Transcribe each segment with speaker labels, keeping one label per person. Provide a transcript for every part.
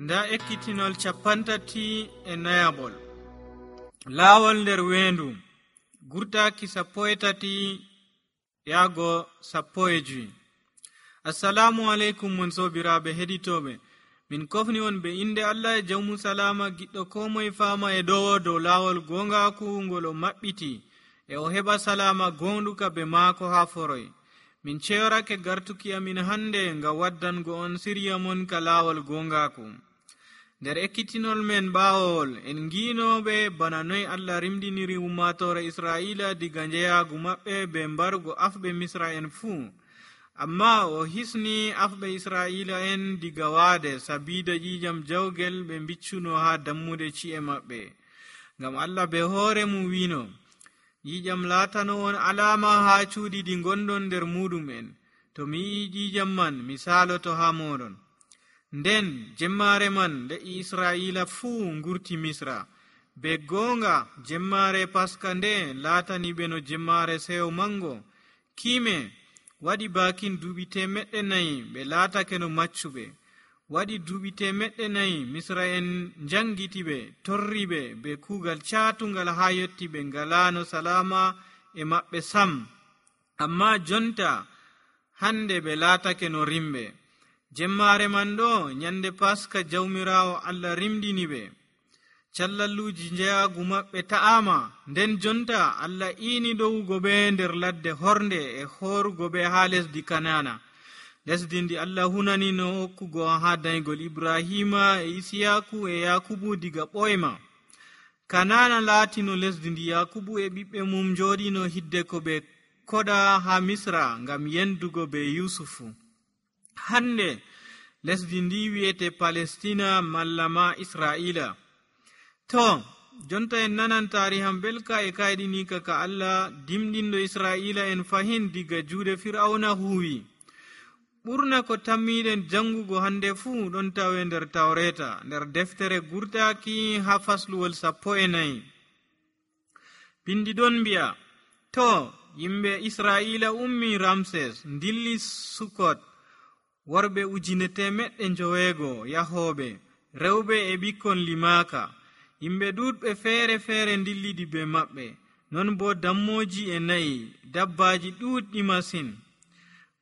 Speaker 1: nda ekkitinol 34 laawol nder weendu gurtaaki 13 yaago 15. Assalamu aleykum mon sobiraaɓe heɗitooɓe, min kofni on be inde Allah e jawmu salama giɗɗo ko moye faama e ɗowo dow laawol gongaaku ngol o maɓɓiti e o heɓa salama gonɗuka be maako haa foroy. Min ceyorake gartuki amin hande ngam waddango on sirya mon ka laawol gongaaku. Nder ekkitinol men ɓaawol en ngiinoɓe bana noy Allah rimdiniri ummatore Israila diga njeyaagu maɓɓe be mbarugo afɓe Misra en fuu. Amma o hisni afɓe Israila en diga waade sabida ƴiƴam jawgel ɓe biccuno haa dammude ci'e maɓɓe. Ngam Allah be hoore mum wiino, ƴiƴam laatano on alama haa cuuɗi ɗi gonɗon nder muɗum'en. To mi yi'i ƴiƴam man mi saaloto haa moɗon. Nden jemmaare man le'i Israila fuu ngurti Misra. Be goonga jemmaare Paska nde laatani ɓe no jemmaare seyo mango. Kiime waɗi baakin duuɓi 400 ɓe laatake no maccuɓe. Waɗi duuɓi 400 Misra en njangiti ɓe, torri ɓe be kuugal caatungal haa yotti ɓe ngalaano salama e maɓɓe sam. Amma jonta hande ɓe laatake no rimɓe. Jemmaare man ɗo nyande Paska jawmiraawo Allah rimdini ɓe. Callalluuji njeyaagu maɓɓe ta'ama, nden jonta Allah iini ɗowugo ɓe nder ladde hornde e hoorugo ɓe haa lesdi Kanana, lesdi ndi Allah hunani no hokkugo haa daygol Ibrahima e Isiyaku e Yakubu diga ɓoyma. Kanana laatino lesdi ndi Yakubu e ɓiɓɓe mum njooɗino hidde ko ɓe koɗa haa Misra ngam yendugo be Yusufu. Hande lesdi ndi wi'ete Palestina malla ma Israila. To, jonta en nanan taariham belka e kayɗinika ka Allah dimɗinɗo Israila en fahin diga juuɗe Fir'auna huwi. Ɓurna ko tammiɗen jangugo hande fuu ɗon tawe nder Tawreta, nder deftere gurtaaki haa fasluwol 14. Bindi ɗon mbi'a, to yimɓe Israila ummi Ramses dilli Sukot, worɓe 900 yahooɓe, rewɓe e ɓikkon limaaka. Yimɓe ɗuɗɓe feere feere dilliɗi be maɓɓe, non bo dammoji e nayi, dabbaji ɗuɗɗi masin.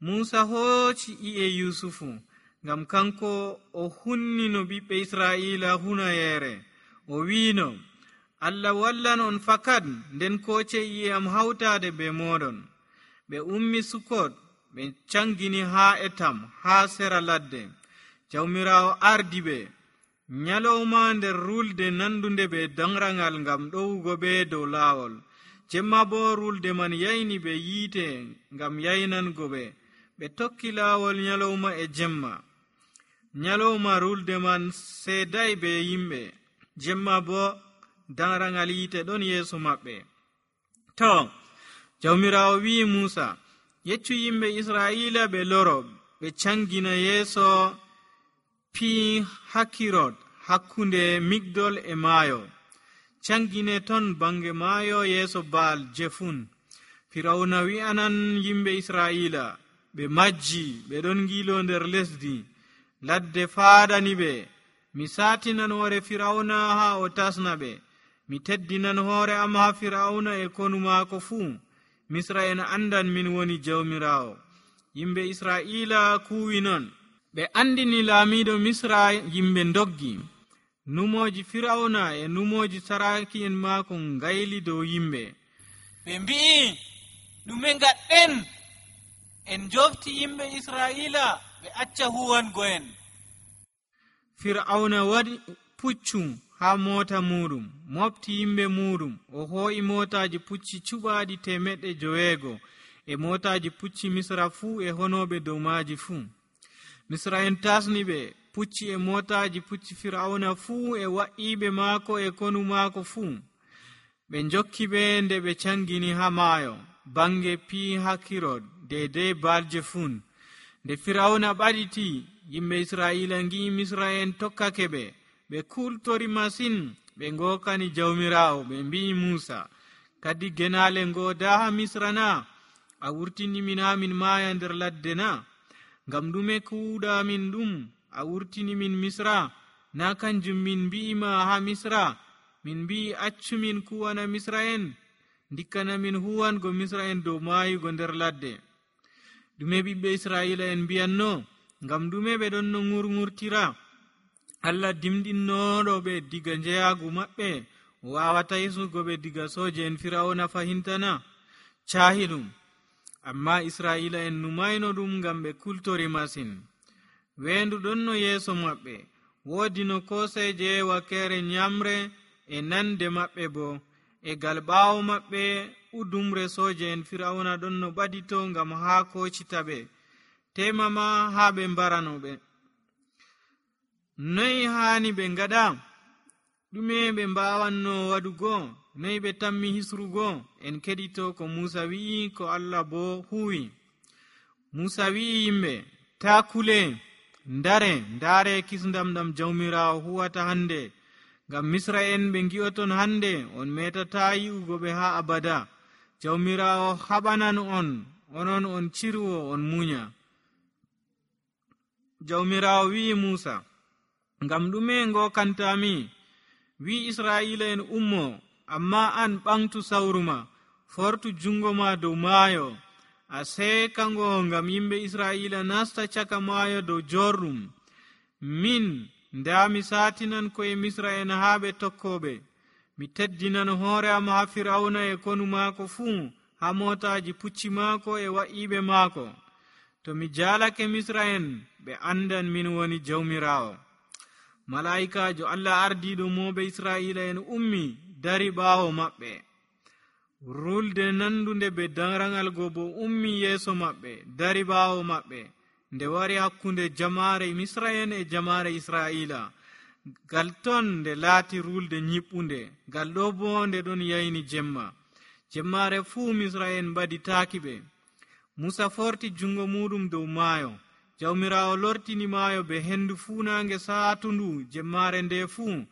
Speaker 1: Musa hooci i'e Yusufu, ngam kanko o hunnino ɓiɓɓe Israila hunayeere. O wiino, Allah wallan on fakat, nden kooce i'e am hawtaade be moɗon. Ɓe ummi Sukot, ɓe cangini haa Etam, haa sera ladde. Jawmiraawo ardi ɓe. Nyalowma nder rulde nandunde be danrangal ngam ɗowugo ɓe dow laawol. Jemma bo rulde man yayni ɓe yiite ngam yaynango ɓe. Ɓe tokki laawol nyalowma e jemma. Nyalowma rulde man seeday be yimɓe. Jemma bo danrangal yiite ɗon yeeso maɓɓe. To, Jawmiraawo wi'i Musa, yeccu yimɓe Israila ɓe loro, ɓe cangina yeeso Pi Hakirot hakkunde Migdol e maayo. Cangine ton bange maayo yeeso Baal Jefun. Firawna wi'anan yimɓe Israila, ɓe majji, ɓe ɗon ngilo nder lesdi. Ladde faadani ɓe. Mi saatinan hoore Firawna haa o tasna ɓe. Mi teddinan hoore am haa Firawna e konu maako fuu. Misra en andan min woni Jawmiraawo. Yimɓe Israila kuwi non. Ɓe andini laamiiɗo Misra, yimɓe ndoggi. Numoji Firawna e numoji saraki en maako ngayli dow yimɓe. Ɓe mbi'i, ɗume ngaɗɗen? En jofti yimɓe Israila ɓe acca huwango en. Firawna waɗi puccu haa mota muɗum, mofti yimɓe muɗum. O hoo'i motaji pucci cuɓaaɗi 500 e motaji pucci Misra fuu e honoɓe dow maaji fuu. Misra en tasni ɓe pucci e motaji pucci Firawna fuu e wa'iɓe maako e konu maako fuu. Ɓe jokki ɓe nde ɓe cangini haa maayo, bange Pi Hakirot deydey Baal Jefun. Nde Firawna ɓaɗiti, yimɓe Israila ngi'i Misra en tokkake ɓe. Ɓe kultori masin, ɓe ngokani Jawmiraawo, ɓe mbi'i Musa, kadi genaale ngoda haa Misra na? A wurtini min haa min maaya nder ladde na? Ngam ɗume kuuɗa min ɗum? A wurtini min Misra? na kanjum min mbi'ima ha misra, min mbi'i accumin kuwana misra en, dikkana min huwango misra en dow mayugo nder ladde. Ɗume ɓiɓɓe israila en mbiyanno? Ngam ɗume ɓe ɗon no ŋurŋurtira? Allah dimɗinnoɗo ɓe diga njeyagu maɓɓe, wawata hisugo ɓe diga soje en firawna fahintana? Cahi ɗum. Amma israila en numayno ɗum ngam ɓe kultori masin. Weendu ɗon no yeeso maɓɓe, woodi no koseje wakkere nyamre e nande maɓɓe bo, e gal ɓaawo maɓɓe udumre soje en firawna ɗon no ɓadito ngam haa kocita ɓe, temama haa ɓe mbaranoɓe. Noy haani ɓe ngaɗa? ɗume ɓe mbawanno waɗugo? Noy ɓe tammi hisrugo? En keɗito ko Musa wi'i, ko Allah bo huwi. Musa wi'i yimɓe, ta kule, ndaare kisndam ɗam jawmirawo huwata hande, ngam misra en ɓe ngi'oton hande, on metata yi'ugo ɓe ha abada. Jawmirawo haɓanan on, onon on cirwo on munya. Jawmirawo wi'i Musa, ngam ɗume ngokantami? Wi Israila en ummo, amma an ɓamtu sawruma, fortu jungo ma dow maayo, a seekango ngam yimɓe Israila nasta caka maayo dow jorɗum. Min nda mi satinan koye misra en haa ɓe tokkoɓe. Mi teddinan hoore am ha firawna e konu maako fuu, ha motaji pucci maako e wa'iɓe maako. To mi jalake misra en, ɓe andan min woni jawmirawo. Malaikajo Allah ardiɗo moɓe Israila en ummi dari ɓaawo maɓɓe. Rulde nandunde be darangal go bo ummi yeeso maɓɓe, dari ɓaawo maɓɓe, nde wari hakkunde jamare misra en e jamare Israila. Gal ton nde laati rulde nyiɓɓunde, gal ɗo bo nde ɗon yayni jemma. Jemmare fuu misra en mbaditaaki ɓe. Musa forti jungo muɗum dow maayo. Jawmirawo lortini maayo be hendu fuunange saatundu jemmare nde fuu.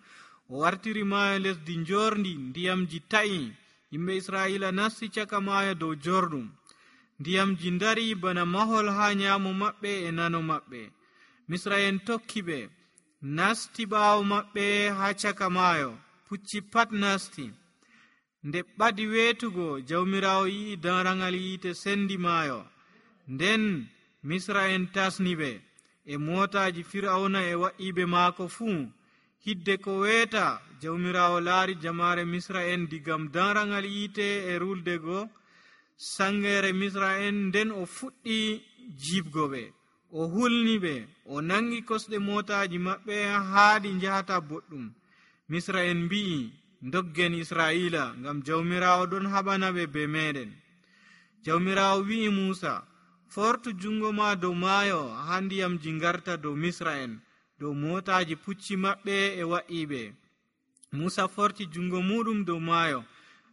Speaker 1: O wartiri maayo lesdi njorndi, ndiyamji ta'i. Yimɓe Israila nasti caka maayo dow jorɗum. Ndiyamji ndari bana mahol ha nyaamo maɓɓe e nano maɓɓe. Misra en tokki ɓe, nasti ɓaawo maɓɓe ha caka maayo, pucci pat nasti. Nde ɓadi weetugo, jawmirawo yi'i darangal yiite sendi maayo. Nden misra en tasni ɓe e motaji firawna e wa'iɓe maako fuu. Hidde ko weeta, jawmirawo laari jamare misra en digam darangal yiite e ruldego sangere misra en. Nden o fuɗɗi jibgo ɓe, o hulni ɓe, o nangi kosɗe motaji maɓɓe haaɗi njahata boɗɗum. Misra en mbi'i, ndoggen Israila, ngam jawmirawo ɗon haɓana ɓe be meɗen. Jawmirawo wi'i Musa, fortu jungo ma dow maayo ha ndiyamji ngarta dow misra en, dow motaji pucci maɓɓe e wa'iɓe. Musa forti jungo muɗum dow maayo.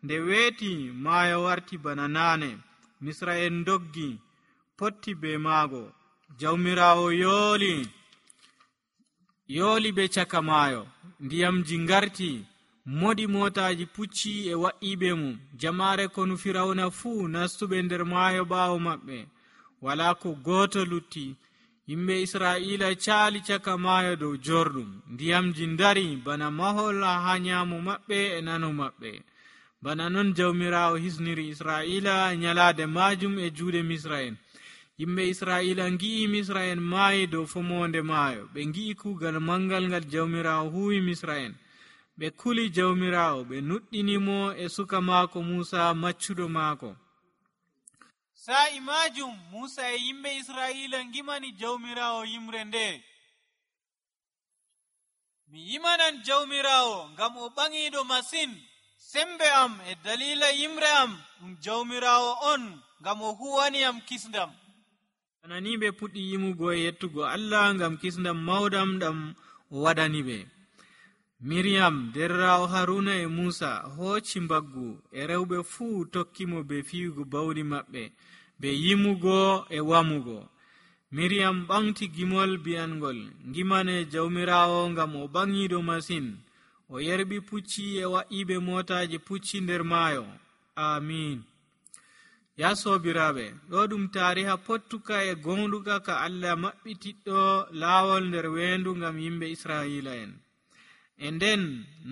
Speaker 1: Nde weeti, maayo warti bana naane. Misra en doggi, potti be maago. Jawmirawo yooli be caka maayo. Ndiyamji ngarti, moɗi motaji pucci e wa'iɓe mum. Jamare konu firawna fuu nastuɓe nder maayo ɓaawo maɓɓe. Wala ko gooto lutti. Yimɓe Israila caali caka maayo dow jorɗum. Ndiyamji ndari bana mahol ha nyaamo maɓɓe e nano maɓɓe. Bana non jawmirawo hisniri Israila nyalaade majum e juuɗe misra en. Yimɓe Israila ngi'i misra en maayi dow fomonde maayo. Ɓe ngi'i kuugal mangal ngal jawmirawo huwi misra en. Ɓe kuli jawmirawo, ɓe nuɗɗinimo e suka maako Musa maccuɗo maako. Sa'i majum Musa e yimɓe Israila ngimani jawmirawo yimre nde. Mi yimanan jawmirawo ngam o ɓaŋiɗo masin. Sembe am e dalila yimre am ɗum jawmirawo on, ngam o huwani am kisndam. Anani ɓe puɗɗi yimugo e yettugo Allah ngam kisndam mawɗam ɗam o waɗani ɓe. Miriam derrawo Haruna e Musa hooci mbaggu e rewɓe fuu tokkimo be fiyugo bawɗi maɓɓe, be yimugo e wamugo. Miriam ɓamti gimol bi'angol, ngimane jawmirawo ngam o ɓaŋiɗo masin. O yerɓi pucci e wa'iɓe motaji pucci nder maayo. Amin. Ya sobiraaɓe, ɗo ɗum tariha pottuka e gonɗuka ka Allah maɓɓitiɗɗo laawol nder weendu ngam yimɓe Israila en. E nden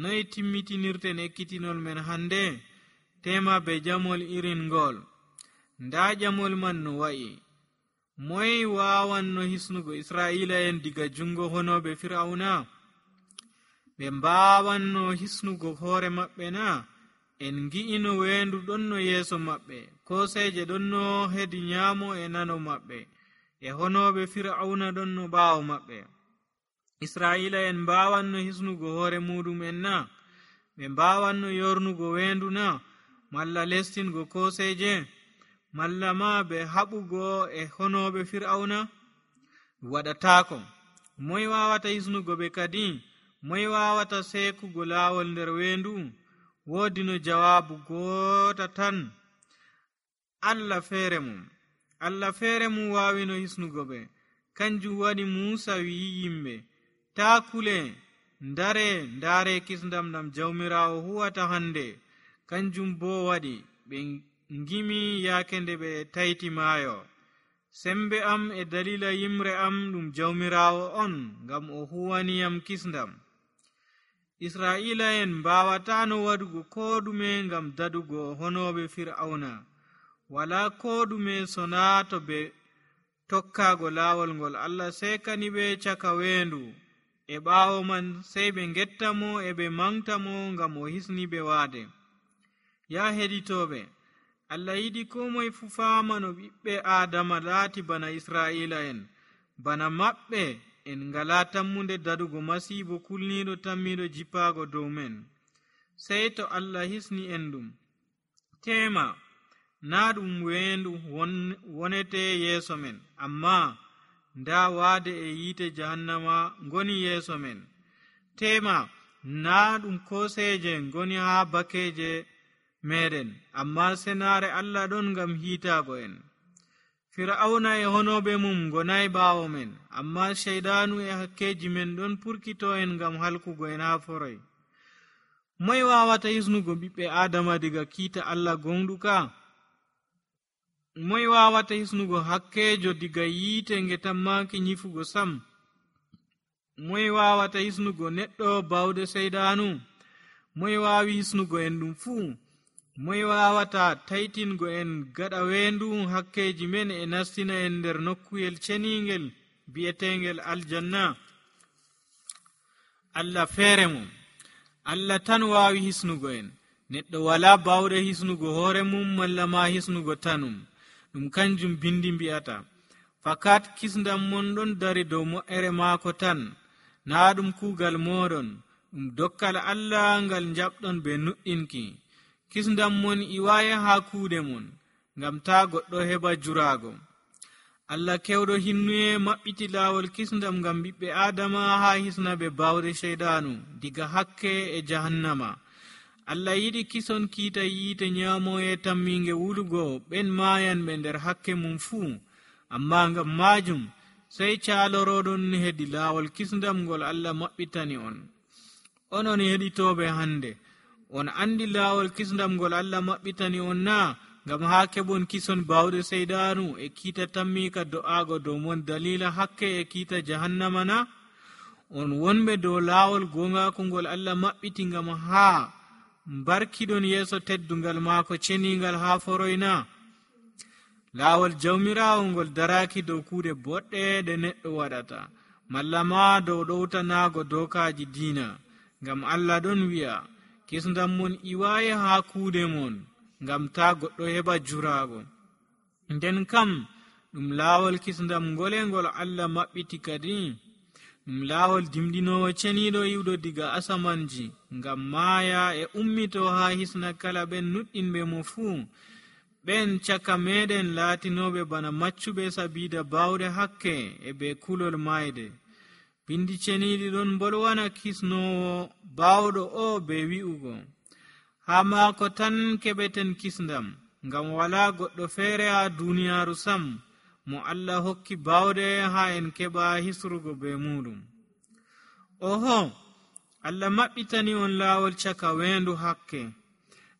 Speaker 1: noy timmitinirten ekkitinol men hande? Tema be jamol irin ngol. Nda jamol man no wa'i. Moy wawanno hisnugo Israila en diga jungo honoɓe Fir'auna? Ɓe mbawanno hisnugo hoore maɓɓe na? En gi'ino weendu ɗonno yeeso maɓɓe, koseje ɗonno hedi nyamo e nano maɓɓe, e honoɓe Fir'auna ɗonno ɓaawo maɓɓe. Israila en mbawanno hisnugo hoore muɗum na? Ɓe mbawanno yornugo weendu na? Malla lestingo koseje? Malla ma ɓe haɓugo e honoɓe Fir'auna? Waɗataako. Moy wawata hisnugo ɓe kadi? Moy wawata sekugo laawol nder weendu? Woodi no jawaabu goota tan: Allah feere mum. Allah feere mum waawino hisnugo ɓe. Kanjum waɗi Muusa wi'i yimɓe, taa kule, ndare ndaare kisndam ɗam Jawmiraawo huwata hande. Kanjum boo waɗi ɓe ngimi yaake nde ɓe tayti maayo. Sembe am e dalila yimre am ɗum Jawmiraawo on, ngam o huwaniyam kisndam. Israila en mbawatano waɗugo ko ɗume ngam dadugo honoɓe Fir'auna. Wala ko ɗume sona to ɓe tokkago laawol ngol Allah sekani ɓe caka weendu. E ɓaawo man sey ɓe gettamo e ɓe mangtamo ngam o hisni ɓe waade. Ya heɗitoɓe, Allah yiɗi ko moye fu faama no ɓiɓɓe Adama laati bana Israila en. Bana maɓɓe en ngala tammunde dadugo masiibo kulniiɗo tammiɗo jippaago dow men. Sey to Allah hisni en ɗum. Tema, na ɗum weendu wonete yeeso men, amma nda waade e yiite jahannama ngoni yeeso men. Tema, na ɗum koseje ngoni haa bakeje meɗen, amma senaare Allah ɗon ngam hiitaago en. Fir'auna e honoɓe mum gonay ɓaawo men, amma sheydanu e hakkeji men ɗon purkito en ngam halkugo en haa foroy. Moy wawata hisnugo ɓiɓɓe Adama diga kiita Allah gonɗuka? Moy wawata hisnugo hakkejo diga yiite nge tammaki nyifugo sam? Moy wawata hisnugo neɗɗo bawde seydanu? Moy wawi hisnugo en ɗum fuu? Moy wawata taytingo en gaɗa weendu hakkeji men e nastina en nder nokkuyel ceningel bi'etengel aljanna? Allah feere mum. Allah tan wawi hisnugo en. Neɗɗo wala bawde hisnugo hoore mum malla ma hisnugo tanum. Ɗum kanjum bindi mbi'ata. Fakat kisndam mon ɗon dari dow mo'ere maako tan. Na ɗum kuugal moɗon, ɗum dokkal Allah ngal jaɓɗon be nuɗɗinki. Kisndam mon iwaya haa kuuɗe mon, ngam ta goɗɗo heɓa juraago. Allah kewɗo hinnuye maɓɓiti laawol kisndam ngam ɓiɓɓe Adama haa hisna ɓe bawde sheydanu diga hakke e jahannama. Allah yiɗi kison kiita yiite nyaamoye tamminge wulugo ɓen maayan ɓe nder hakke mum fuu. Amma ngam maajum sey caaloroɗon hedi laawol kisndam ngol Allah maɓɓitani on. Onon heɗitoɓe hande, on andi laawol kisndam ngol Allah maɓɓitani on na? Ngam haa keɓon kison bawde seydanu e kiita tammika do'aago dow mon dalila hakke e kiita jahannama na? On wonɓe dow laawol gongaako ngol Allah maɓɓiti ngam haa mbarkiɗon yeeso teddungal maako ceningal haa foroyna. Laawol Jawmiraawo ngol daraaki dow kuuɗe boɗɗe ɗe neɗɗo waɗata, malla ma dow ɗowtanaago dookaaji diina. Ngam Allah ɗon wi'a, kisndam mon iwaaye haa kuuɗe mon, ngam ta goɗɗo heɓa juraago. Nden kam ɗum laawol kisndam ngole ngol Allah maɓɓiti kadi? Ɗum laawol dimɗinowo ceniiɗo iwɗo diga asamanji, ngam maaya e ummito haa hisna kala ɓen nuɗɗinɓe mo fuu. Ɓen caka meɗen laatinoɓe bana maccuɓe sabiida bawde hakke e be kulol mayde. Bindi ceniiɗi ɗon bolwana kisnowo bawɗo o be wi'ugo, haa maako tan keɓeten kisndam, ngam wala goɗɗo feere haa duniyaaru sam mo Allah hokki bawde haa en keɓa hisrugo be muɗum. Oho, Allah maɓɓitani on laawol caka weendu hakke.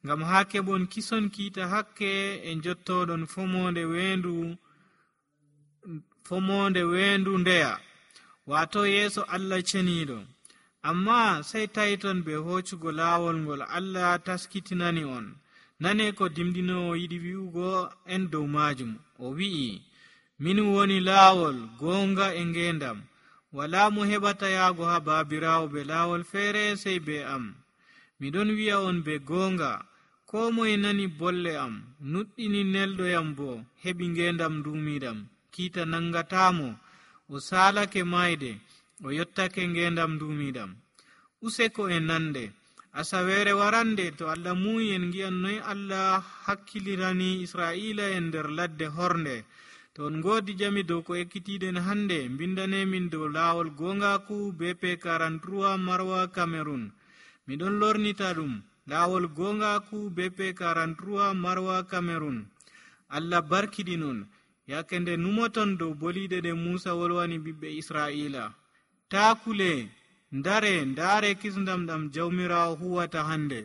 Speaker 1: ngam haa keɓon kison kiita hakke e njottoɗon fomonde weendu ndeya waato yeeso Allah ceniiɗo. Amma sey tawiton be hoccugo laawol ngol Allah taskitinani on. Nane ko dimdinoowo yiɗi wi'ugo en dow maajum. O wi'i, min woni laawol, goonga e ngeendam. Walaa mo heɓata yaago haa baabiraawo be laawol feere sey be am. Miɗon wi'a on be goonga, koo moye nani bolle am, nuɗɗini nelɗoyam boo, heɓi ngeendam nduumiiɗam, kiita nangataamo, o saalake mayde, o yottake ngeendam nduumiiɗam. Useko e nande, asaweere warande to Allah muuyi en ngi'an noy Allah hakkilirani Israa'iila en nder ladde hornde. To on ngoodi jami dow ko ekkitiiɗen hannde, mbindanemin dow laawol goongaaku BP 43 Marwa Cameroon. Miɗon lornita ɗum, laawol goongaaku BP 43 Marwa Cameroon. Allah barkiɗinon, yake nde numoton dow boliiɗe ɗe Muusa wolwani ɓiɓɓe Israa'iila. Taa kule, ndaare kisndam ɗam jawmiraawo huwata hannde.